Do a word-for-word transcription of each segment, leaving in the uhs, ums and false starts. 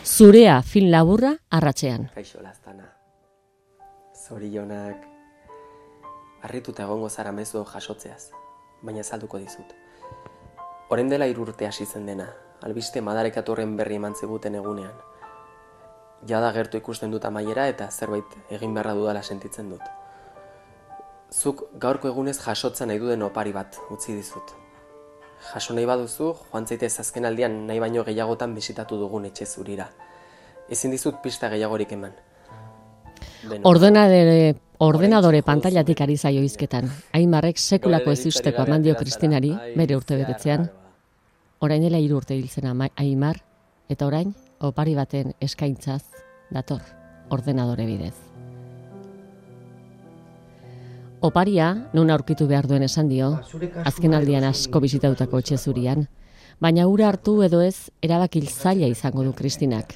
Zurea film laburra arratsean. Kaixo Laztana. Zorionak. Harrituta egongo zara mezu jasotzeaz, baina azalduko dizut. Orain dela hiru urte hasi zen dena, albiste madarekatorren berri eman ziguten egunean. Jada gertu ikusten dut amaiera eta zerbait egin beharra dudala sentitzen dut. Zuk gaurko egunez jasotza nahi duden opari bat utzi dizut. Jaso nahi baduzu, joan zaitez azken aldian nahi baino gehiagotan bisitatu dugun etxe zurira. Ezin dizut pista gehiagorik eman. Ordenadore, ordenadore pantailatik ari zaio hizketan. Aimarrek sekulako ez usteko eman dio Kristinari bere urte betetzean. Orain dela hiru urte hil zen Aimar, eta orain opari baten eskaintzaz dator ordenadore bidez. Oparia, non aurkitu behar duen esan dio, azken aldian asko bisitatutako etxe zurian, baina ura hartu edo ez erabakil zaila izango du Kristinak.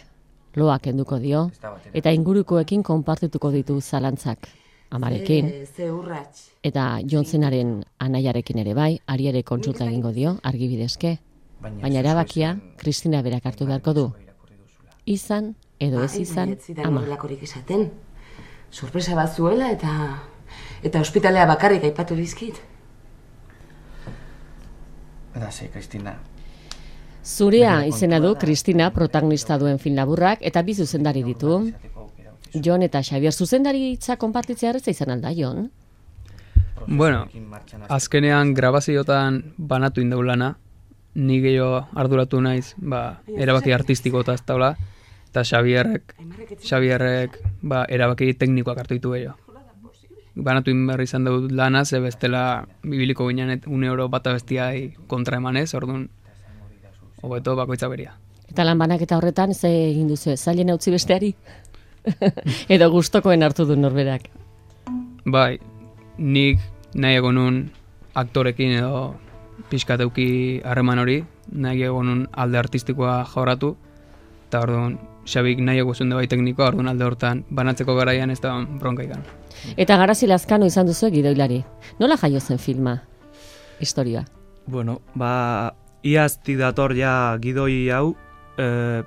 Loak kenduko dio, eta ingurukoekin konpartituko ditu zalantzak. Amarekin, eta Johnsenaren anaiarekin ere bai, ari ere kontsulta egingo dio, argibidezke, baina erabakia Kristina berak hartu beharko du. Izan edo ez izan, ama. Sorpresa bat zuela eta... Eta ospitalea bakarrik aipatu dizkit. Eta ze, Kristina. Zurea izena du Kristina protagonista duen film laburrak eta bi zuzendari ditu. Jon eta Xabier zuzendaritza konpartitzea erreza izan alda, Jon? Bueno, azkenean grabaziotan banatu indau lana, ni gehiago arduratu naiz, ba, erabaki artistiko eta ez taula, eta Xabierrek, Xabierrek, ba, erabaki teknikoak hartu ditu gehiago. Banatu inberri izan dut lana, ze bestela bibiliko ginen une euro bata bestiai kontra emanez, orduan, hobeto bakoitza beria. Eta lan banaketa horretan, ze egin duzu, zailen utzi besteari? Edo gustokoen hartu du norberak? Bai, nik nahi egon nun aktorekin edo pixkateuki harreman hori, nahi egon nun alde artistikoa jorratu, eta orduan, Xabik nahi eguzun bai teknikoa, orduan alde hortan banatzeko garaian ez da bronka ikan. Eta Garazi Lazkano izan duzu gidoilari. Nola jaio zen filma? Historia. Bueno, ba, iaztik dator ja gidoi hau, e,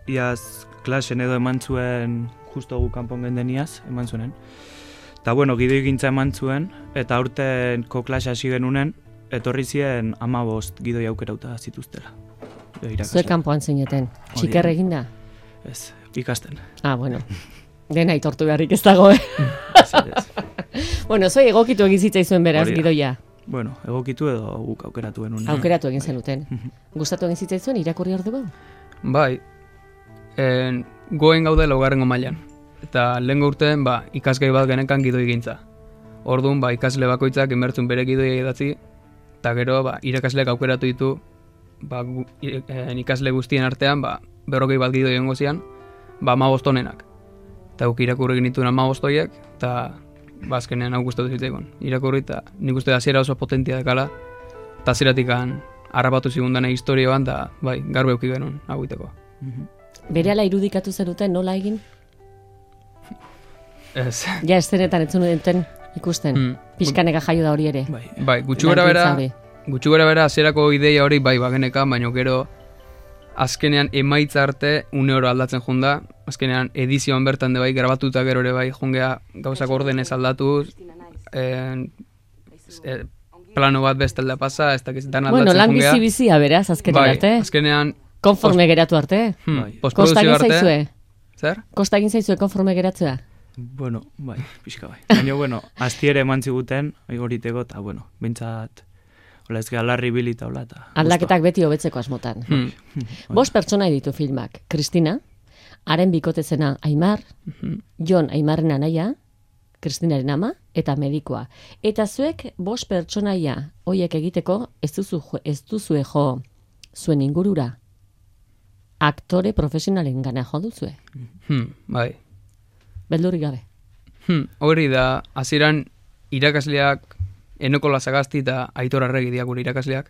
iaz klasen edo eman zuen, justo gu kanpon gendeniaz, eman zuenen. Eta bueno, gidoi gintza eman zuen, eta aurtenko klase hasi genunen, etorri ziren hamabost gidoi aukerauta zituztela. Zuek kanpoan zineten, txiker eginda? Ez, ikasten. Ah, bueno. Dena aitortu beharrik ez dago, eh? Bueno, zoi egokitu egin zitzaizuen beraz gidoia. Bueno, egokitu edo guk aukeratu genuen. Aukeratu egin zenuten. Gustatu egin zitzaizuen irakurri orduko? Bai, en, goen gaude laugarrengo mailan. Eta lehengo urtean, ba, ikasgai bat genekan gidoi gintza. Orduan, ba, ikasle bakoitzak inbertzun bere gidoia idatzi, eta gero, ba, irakasleak aukeratu ditu, ba, gu, en, ikasle guztien artean, ba, berrogei bat gidoi egongo zian, ba, hamabost onenak. Eta guk irakurri genituen hamabost horiek, eta bazkenean hau gustatu zitzaikon. Irakurri eta nik uste hasiera oso potentia dekala, eta hasieratik harrapatu zigundan historioan, da bai, garbe euki genuen hau iteko. Berehala irudikatu zenuten nola egin? Ez. Ja, estenetan entzun duten ikusten, mm. Pixkaneka jaio da hori ere. Bai, bai gutxu gara bera, gutxu gara bera hasierako ideia hori bai bageneka, baina gero azkenean emaitza arte une oro aldatzen junda, azkenean edizioan bertan de bai grabatuta gero ere bai jungea gauzak ordenez aldatuz, en, e, plano bat bestalda pasa, ez dakiz dan aldatzen jungea. Bueno, lan bizi-bizia beraz, azkenean bai, arte. Azkenean... Konforme geratu arte. Hmm, bai. Postproduzio arte. Kosta egin zaizue? Zer? Kosta egin zaizue konforme geratzea? Bueno, bai, pixka bai. Baina, bueno, aztiere eman ziguten, horiteko, eta, bueno, bintzat... Ola ez galarri bilita hola eta... Aldaketak beti hobetzeko asmotan. Hmm. Bost pertsona ditu filmak. Kristina, haren bikotezena Aimar, hmm. Jon Aimarren anaia, Kristinaren ama, eta medikoa. Eta zuek bost pertsonaia hoiek egiteko ez duzu ez duzue jo zuen ingurura. Aktore profesionalen gana jo duzue. Hmm, bai. Beldurrik gabe. Hmm, hori da, hasieran irakasleak Eneko Lazagasti eta Aitor Arregi diak gure irakasleak.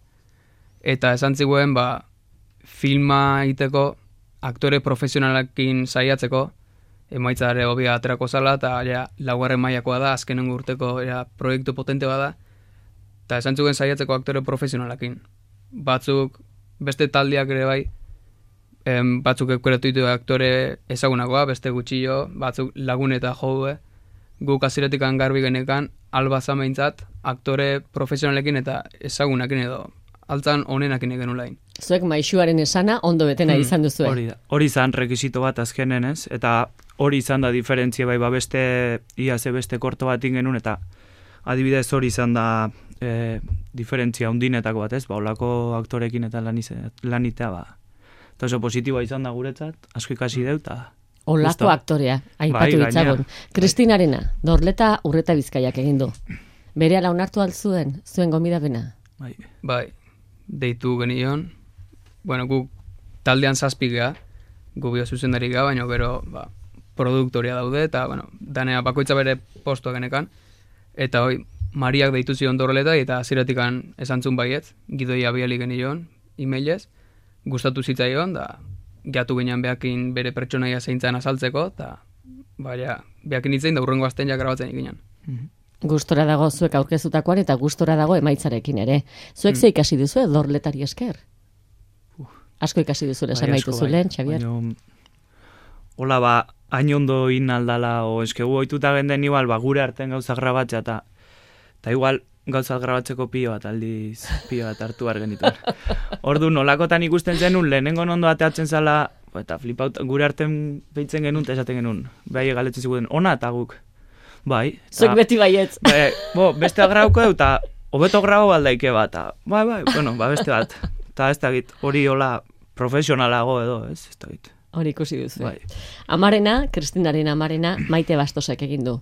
Eta esan ziguen, ba, filma egiteko aktore profesionalekin saiatzeko, emaitza ere hobia aterako zala, eta ja, laugarren mailakoa da, azkenengo urteko ja, proiektu potente bada. Eta esan ziguen saiatzeko aktore profesionalekin. Batzuk, beste taldeak ere bai, em, batzuk eukeratu ditu aktore ezagunakoa, beste gutxillo, batzuk lagun eta joue, guk aziretik garbi genekan, alba zameintzat, aktore profesionalekin eta ezagunakin edo, altzan honenakin egen ulain. Zuek maixuaren esana ondo betena izan duzue. Hori da, hori izan rekisito bat azkenen ez, eta hori izan da diferentzia bai, ba beste, ia ze beste korto bat ingenun, eta adibidez hori izan da e, diferentzia undinetako bat ez, ba olako aktorekin eta lanize, lanitea ba. Eta oso positiboa izan da guretzat, asko ikasi deu, eta... Olako aktorea, aipatu bai, ditzagun. Kristinarena, Dorleta Urreta Bizkaiak egin du. Berehala onartu altzuen, zuen gomidapena? Bai. Bai, deitu genion, bueno, guk taldean zazpigea, gu bio zuzendari ga, baina gero ba, produktoria daude, eta bueno, danea bakoitza bere postua genekan, eta hoi, Mariak deitu zion Dorleta, eta aziratikan esantzun baietz, gidoi abiali genion, emailez, gustatu zitzaion, da geatu ginean behakin bere pertsonaia zeintzan azaltzeko, eta baina behakin itzein da urrengo azten ja grabatzen ikinan. Mm-hmm. Gustora dago zuek aurkezutakoan eta gustora dago emaitzarekin ere. Zuek ze ikasi duzu Dorletari esker? Uh, asko ikasi duzu esan bai, baitu asko, zulen, bai. Xabier? Baina, hola ba, hain ondo in aldala, o eskegu oituta genden igual, ba, gure artean gauza grabatzea, eta eta igual gauza grabatzeko pilo bat, aldiz pilo bat hartu behar genituen. Ordu nolakotan ikusten zenun, lehenengo ondo ateatzen zala, eta flipaut, gure artean behitzen genuen, eta esaten genuen, behai galetzen ziguten, ona eta guk. Bai. Zuek beti baietz. Bai, bo, beste grauko dut, eta hobeto grau aldaike bat, eta, bai, bai, bueno, ba, beste bat. Eta ez da git, hori hola profesionalago edo, ez, ez da git. Hori ikusi duzu. Bai. Amarena, Kristinaren amarena, Maite Bastosek egin du.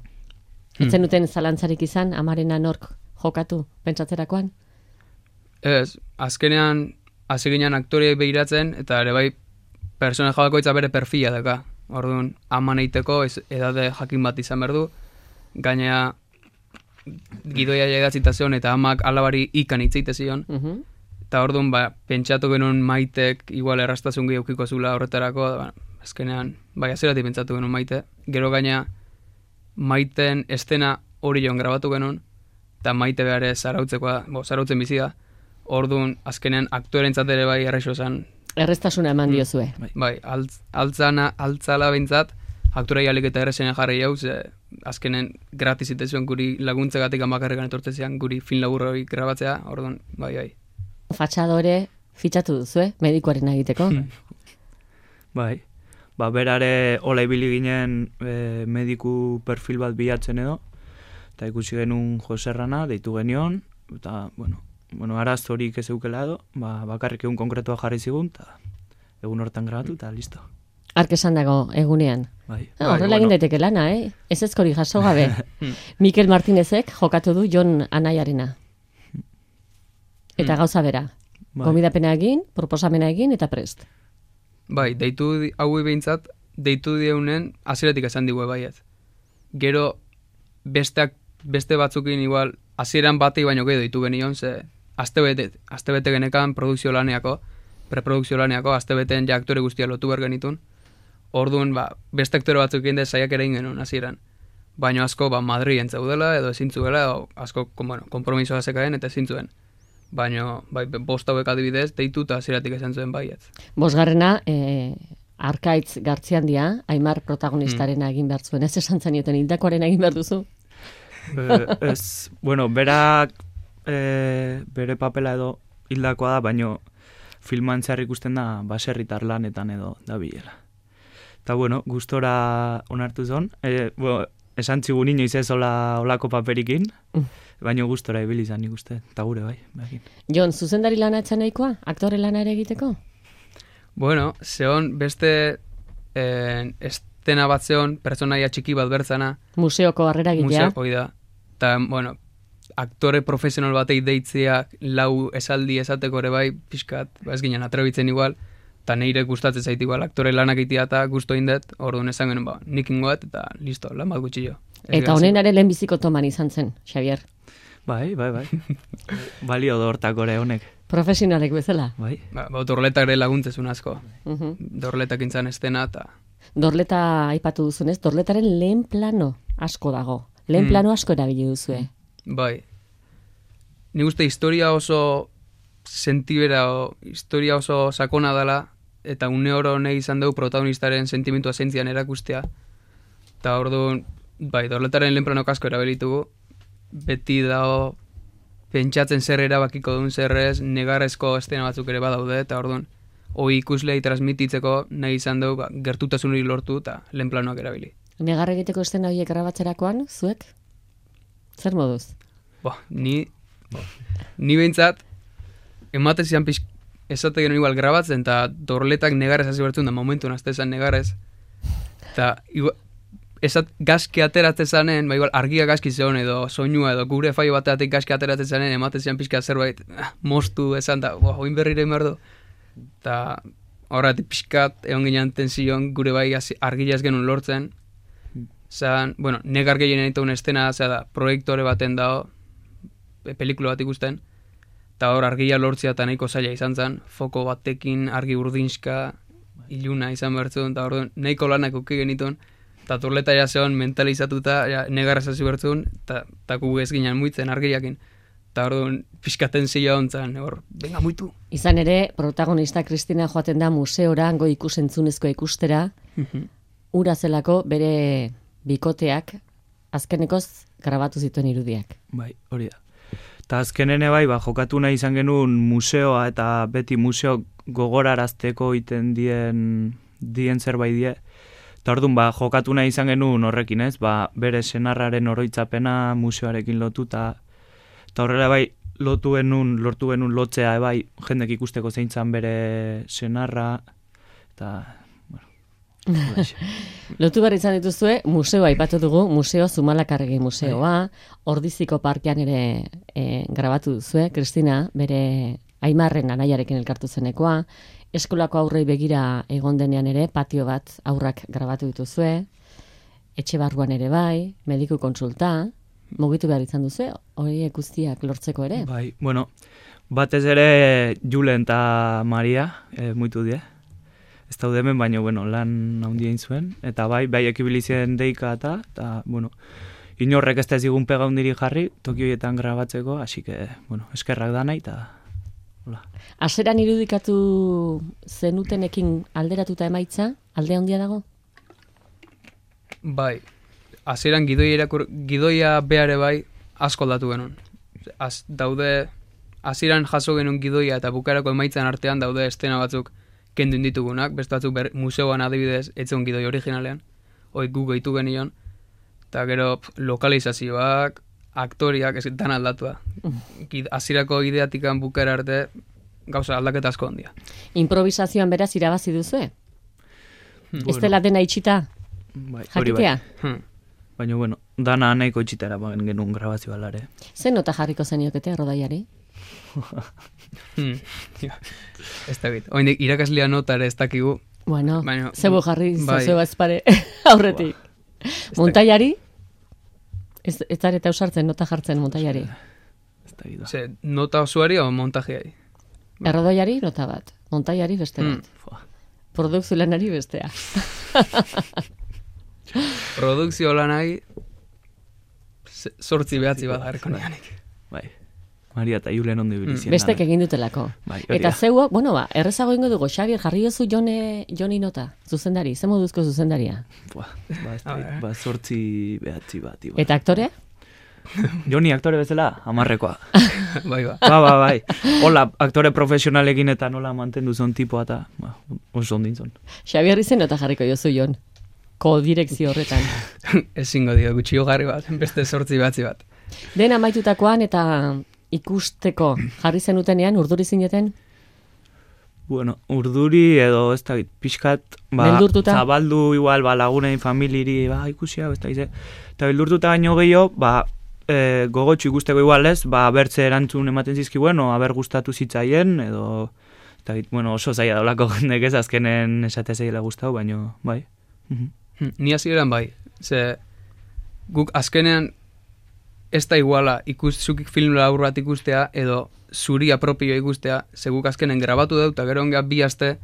Hmm. Etzen duten zalantzarik izan, amarena nork jokatu, pentsatzerakoan? Ez, azkenean, hasi ginen aktoriei behiratzen, eta ere bai, personaje bakoitza bere perfila daka. Orduan, aman eiteko, ez edade jakin bat izan behar du, gainea gidoia jaidatzita zion, eta amak alabari ikan itzeite zion, Uh-huh. eta orduan, ba, pentsatu genuen Maitek, igual errastazun gehiukiko zula horretarako, ba, azkenean, bai, azeratik pentsatu genuen Maite, gero gainea, Maiten estena hori joan grabatu genuen, eta Maite behar zarautzekoa, bo, zarautzen bizi da, orduan, azkenean, aktorentzat ere bai errexo zen. Errestasuna eman diozue. Bai, altz, altzana, altzala bintzat, aktorai alik eta errezena jarri jau, ze azkenen gratis zitezuen guri laguntzegatik amakarrekan etortzezian, guri fin labur hori grabatzea, orduan, bai, bai. Fatxadore fitxatu duzue, medikoaren egiteko. Bai, ba, berare hola ibili ginen e, mediku perfil bat bilatzen edo, eta ikusi genuen Joserrana, deitu genion, eta, bueno, bueno araz horik ez eukela edo, ba, bakarrik egun konkretua jarri zigun, eta egun hortan grabatu, eta listo. Ark esan dago egunean. Bai. Ah, horrela egin daiteke lana, eh? Ez ezkori jaso gabe. Mikel Martinezek jokatu du Jon Anaiarena. Eta gauza bera. Bai. Gomidapena egin, proposamena egin, eta prest. Bai, deitu di- haui behintzat, deitu dieunen, aziratik esan digue baiet. Gero, besteak, beste batzukin igual, hasieran batei baino gehiago deitu genion, ze astebete, astebete genekan produkzio laneako, preprodukzio laneako, astebeteen ja aktore guztia lotu behar genitun. Orduan, ba, beste aktore batzuk egin saiak ere genuen hasieran. Baina asko, ba, Madriden zeudela, edo ezin zuela, edo asko, kon, bueno, kompromisoa zekaen, eta ezin zuen. Baina, bai, bost hauek adibidez, deitu eta hasieratik esan zuen baiet. Bosgarrena, eh, Arkaitz Gartziandia, Aimar protagonistarena egin behar zuen. Ez esan zanioten, hildakoaren egin behar duzu? E, ez, bueno, berak e, bere papela edo hildakoa da, baino filman zehar ikusten da baserritar lanetan edo da bilela. Eta bueno, gustora onartu zon, e, bueno, esan txigun inoiz ez ola, olako paperikin, baino gustora ibili izan nik uste, eta gure bai. Bakin. Jon, zuzendari lana etxan nahikoa? Aktore lana ere egiteko? Bueno, zeon beste eh, estena bat zeon, pertsonaia txiki bat bertzana, Museoko harrera egitea? museo, hoi da. Eta, bueno, aktore profesional batei deitzea lau esaldi esateko ere bai, pixkat, ba ez ginen atrebitzen igual, eta neire gustatzen zait igual, aktore lanak itia eta gusto indet, orduan esan genuen, ba, nik ingoet, eta listo, lan bat gutxillo. Eta honenare lehenbiziko toman izan zen, Xavier. Bai, bai, bai. Balio da hortak ore honek. Profesionalek bezala. Bai. Ba, ba dorletak ere laguntzezun asko. Uh-huh. Dorletak intzan estena, eta... Dorleta aipatu duzunez, Dorletaren lehen plano asko dago. Lehen Mm. plano asko erabili duzue. Bai. Ni uste historia oso sentibera, o, historia oso sakona dela, eta une oro nahi izan dugu protagonistaren sentimentua zentzian erakustea. Eta orduan, bai, dorletaren lehen planok asko erabilitugu, beti dago pentsatzen zer erabakiko duen zerrez, negarrezko estena batzuk ere badaude, eta orduan, hoi ikuslei transmititzeko nahi izan dugu ba, gertutasun hori lortu eta lehen planoak erabili. Negar egiteko estena horiek grabatzerakoan, zuek? Zer moduz? Bo, ni, ni behintzat, ematen zian pixk, esate genuen igual grabatzen, eta dorletak negarrez hasi bertzen da momentu nazte esan negarrez. Eta esat gaski ateratzen zanen, ba igual argia gaski zeon edo soinua edo gure faio bateatik gaski ateratzen zanen, ematen zian pixka zerbait ah, mostu esan da, bo, hoin berrire merdo. Eta horretik pixkat egon ginen tension gure bai argia ez genuen lortzen. Zan, bueno, negar gehien egiten estena, zera da, proiektore baten dago, pelikula bat ikusten, eta hor argia lortzea eta nahiko zaila izan zen, foko batekin argi urdinska, iluna izan bertzun, eta hor nahiko lanak uki genituen, eta turleta ja zeon mentalizatuta, ja, negarraz hasi bertzun, eta gu ez ginen muitzen argiakin. Eta hor pixkaten zila hontzan, hor, venga muitu. Izan ere, protagonista Kristina joaten da museora, hango ikusentzunezko ikustera, ura zelako bere bikoteak azkenekoz grabatu zituen irudiak. Bai, hori da. Eta azkenene bai, ba, jokatu nahi izan genuen museoa eta beti museo gogorarazteko iten dien, dien zerbait die. Eta orduan, ba, jokatu nahi izan genuen horrekin ez, ba, bere senarraren oroitzapena museoarekin lotuta. Eta horrela bai, lotu genuen, lortu genuen lotzea, bai, jendek ikusteko zeintzan bere senarra, eta... Lotu behar izan dituzue, museoa aipatu dugu, Museo Zumalakarregi museoa, Ordiziko parkean ere e, grabatu duzue, Kristina, bere Aimarren anaiarekin elkartu zenekoa, eskolako aurrei begira egon denean ere, patio bat aurrak grabatu dituzue, etxe barruan ere bai, mediku kontsulta, mugitu behar izan duzue, hori guztiak lortzeko ere? Bai, bueno, batez ere Julen eta Maria, e, muitu die. Ez daude hemen, baina, bueno, lan handia egin zuen. Eta bai, bai ekibilizien deika eta, eta, bueno, inorrek ez da ez digun pega hundiri jarri, toki horietan grabatzeko, hasi que, bueno, eskerrak da nahi, eta, hola. Aseran irudikatu zenutenekin alderatuta emaitza, alde handia dago? Bai, aseran gidoia, irakur, gidoia behare bai, asko aldatu genuen. Az, daude, aseran jaso genuen gidoia eta bukarako emaitzan artean daude estena batzuk, kendu inditugunak, beste batzuk ber, museoan adibidez, etzen gidoi originalean, hoi gu gehitu genion, eta gero pf, lokalizazioak, aktoriak, ez dan aldatua. Hasierako ideatikan bukera arte, gauza aldaketa asko handia. Improvisazioan beraz irabazi duzue? Bueno. Ez dela dena itxita? Bai, jakitea? Bai. Baina, bueno, dana nahiko itxitara genuen grabazio alare. Zer nota jarriko zeniokete Rodaiari? hmm. Ez da bit. Oindik, irakaslea notare ez dakigu. Bueno, baina, zebo jarri bai. zozeo ezpare aurretik. Montaiari? Ez, ez zareta usartzen nota jartzen Montaiari? Ez da bit. Ze, nota osoari o montajeari? Errodaiari nota bat, Montaiari beste bat. Hmm. Produkzio lanari bestea. Produkzio lanai sortzi behatzi bat garriko nianik. Bai. Maria eta Julen ondo ibilizien. Mm. Bestek egin dutelako. Bai, eta zeuak, bueno ba, errezago ingo dugu, Xabier, jarri jozu Jone, Joni nota, zuzendari, ze moduzko zuzendaria? Ba, ba, ez da, ba, sortzi behatzi bat. Iba. Eta aktore? Joni aktore bezala, amarrekoa. Bai, ba. Ba, ba, bai. Hola, aktore profesionalekin eta nola mantendu zon tipoa eta ba, oso ondintzon. Xabier izen nota jarriko jozu Jon, ko-direkzio horretan. Ezingo dio, gutxio garri bat, beste sortzi behatzi bat. Den amaitutakoan eta ikusteko jarri zenutenean, urduri zineten? Bueno, urduri edo ez da pixkat, ba, beldurtuta? Zabaldu igual, ba, lagunein, familiri, ba, ikusi hau, ez da ize. Eta beldurtuta baino gehiago, ba, e, gogotxu ikusteko igual ez, ba, bertze erantzun ematen zizkibuen, o, haber gustatu zitzaien, edo, ez da, bueno, oso zaila daulako jendek ez, azkenen esate zaila gustau, baino, bai. Ni hasieran bai, ze guk azkenean ez da iguala ikustzuk film labur bat ikustea edo zuria propio ikustea, ze guk azkenen grabatu dut, eta gero onga bi aste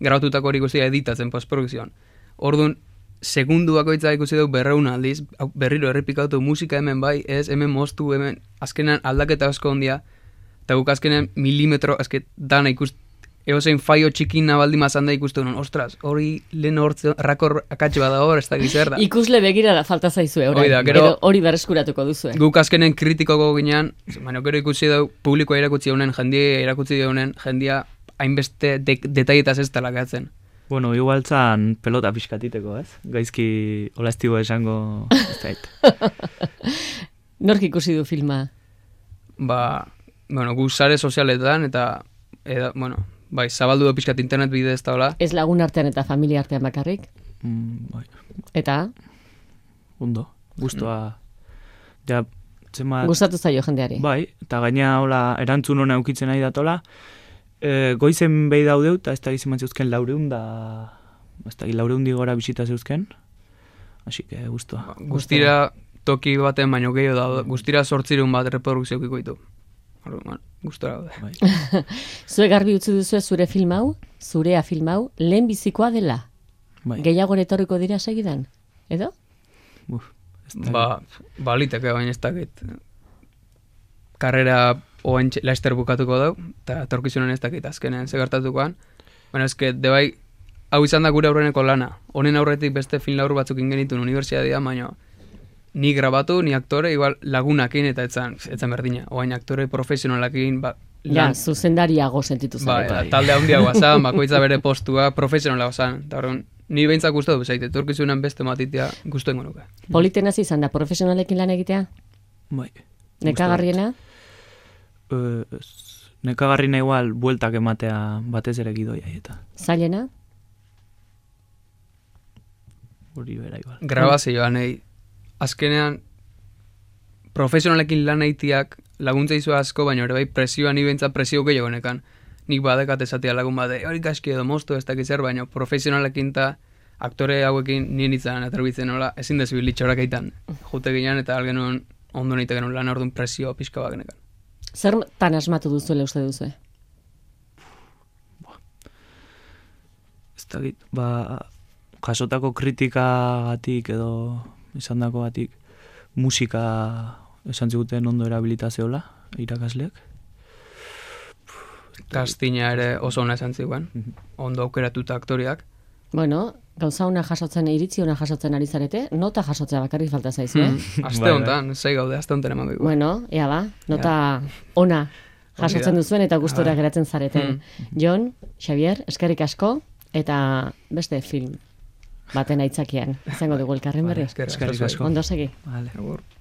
grabatutako hori ikustea editatzen postprodukzioan. Orduan, segundu bakoitza ikusi dut berreun aldiz, berriro errepikatu musika hemen bai, ez, hemen moztu, hemen azkenean aldaketa asko ondia, eta guk azkenean milimetro, azket dana ikust eozein faio txikin nabaldi mazan da ikustu nuen, ostras, hori lehen hortze, rakor akatxe bada hor, ez da gizerda. Ikusle begirada falta zaizue, orain. Hori da, gero- Edo hori berreskuratuko duzue. Guk azkenen kritikoko ginean, baina gero ikusi dau, publikoa irakutsi daunen, jendia irakutsi daunen, jendia hainbeste de, detaietaz ez dela gehatzen. Bueno, igual zan pelota pixkatiteko, ez? Gaizki olaztibo esango ez dait. Nork ikusi du filma? Ba, bueno, gu sare sozialetan, eta, eda, bueno, bai, zabaldu da pixkat internet bidez eta hola. Ez lagun artean eta familia artean bakarrik? Mm, bai, Eta, ondo, guztua. Ja, zenbat... gustatu zaio jendeari. Bai, eta gaina hola erantzun hona eukitzen nahi datola. E, goizen behi daudeu, eta ez da giziman zeuzken laureun da... Ez da laureundi gora bisita zeuzken. Así que guztua. Guztira toki baten baino gehiago da, guztira sortzireun bat reprodukzio kiko ditu. Bueno, gustora daude. Bai. Zue garbi utzi duzu zure film hau, zurea film hau, lehen bizikoa dela. Bai. Gehiago etorriko dira segidan, edo? Uf, ez da- Ba, baliteke baina ez dakit. Karrera oen laster bukatuko dau, eta etorkizunen ez dakit azkenean segertatukoan. Baina eske, debai, hau izan da gure aurreneko lana. Honen aurretik beste film laur batzuk ingenitun unibertsitatea, baina ni grabatu, ni aktore, igual lagunakin eta etzan, etzan berdina. Oain aktore profesionalakin, ba, Ja, lan, zuzendariago sentitu ba, zara. eta talde handiagoa zan, bakoitza bere postua profesionalagoa zan. Eta horren, ni behintzak gustatu bezait, etorkizunen beste matitea guztu ingo nuke. Politenaz izan da profesionalekin lan egitea? Bai. Nekagarriena? Eh, ez, nekagarrina igual bueltak ematea batez ere gidoia eta Zailena? hori bera igual. Grabazioan, nahi, azkenean profesionalekin lan egiteak laguntza izu asko, baina ere bai presioa ni behintzat presio gehiago nekan. Nik badekat esatea lagun bade, hori kaski edo moztu ez dakiz zer, baina profesionalekin eta aktore hauekin nien itzan aterbitzen nola, ezin dezu litxorak eitan. Jute ginean eta algenuen ondo nahi genuen lan orduan presio pixka bat genekan. Zer tan asmatu duzuela uste duzu? Ez dakit, ba, jasotako kritikagatik edo izandako batik musika esan ziguten ondo erabilitazeola irakasleak. Kastina ere oso ona esan ziguen, ondo aukeratuta aktoriak. Bueno, gauza ona jasotzen, iritzi ona jasotzen ari zarete, nota jasotzea bakarrik falta zaizu, eh? Hmm. Aste Bai, bai. honetan, zei gaude, aste honetan emango igual. Bueno, ea ba, nota ona jasotzen Hori da. duzuen eta gustora Bai. geratzen zareten. Jon, Xavier, eskerrik asko, eta beste film baten aitzakian izango dugu elkarren berri. Eskerrik Eskerrik asko. Ondo segi. Vale. Agur.